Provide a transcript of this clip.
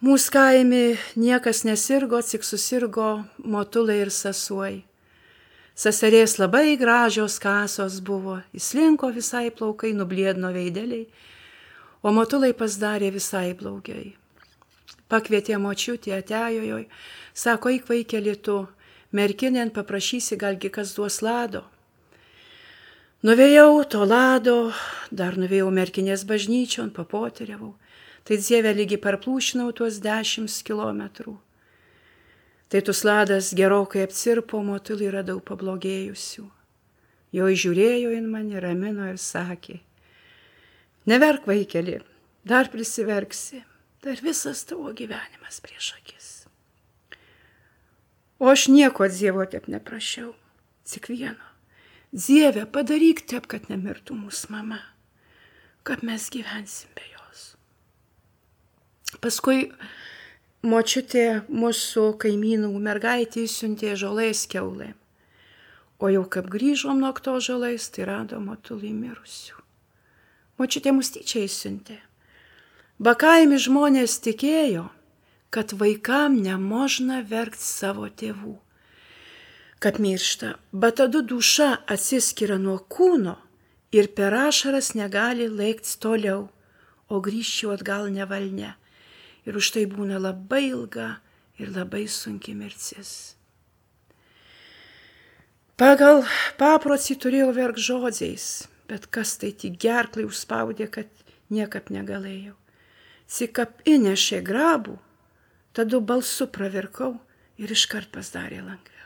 Mūsų kaime niekas nesirgo, tik susirgo motulai ir sasuoj. Seserės labai gražios kasos buvo, įslinko visai plaukai, nubliedno veideliai, o motulai pasidarė visai blogai. Pakvietė močiutė, atėjojoj, sako, eik vaikeli tu, merkinėn paprašysi, galgi kas duos lado. Nuvėjau to lado, dar nuvėjau merkinės bažnyčion, papoteriavau. Tai Dieve lygi parplūšinau tuos 10 kilometrų. Tai tus ladas gerokai apsirpo, motulį radau pablogėjusių. Jo žiūrėjo į mane, ramino ir sakė, neverk vaikeli, dar prisiverksi, dar visas tavo gyvenimas prieš akis. O aš nieko Dievo taip neprašiau, tik vieno. Dieve, padaryk taip, kad nemirtų mūsų mama, kad mes gyvensim be jos. Paskui močiutė mūsų kaimynų mergaitė siuntė žolės kiaulėm. O jau kaip grįžom nuo to žolės, tai rado motulį mirusių. Močiutė mus tyčia įsiuntė. Bakaimi žmonės tikėjo, kad vaikam nemožna verkti savo tėvų, kad miršta, bet tada duša atsiskiria nuo kūno ir per ašaras negali laiktis toliau, o grįžti atgal nevalne. Ir už tai būna labai ilga ir labai sunki mirtis. Pagal paprotį turėjau verkt žodžiais, bet kas tai tik gerklai užspaudė, kad niekaip negalėjau. Tik kaip įnešė grabų, tada balsu pravirkau ir iškart pasidarė lengviau.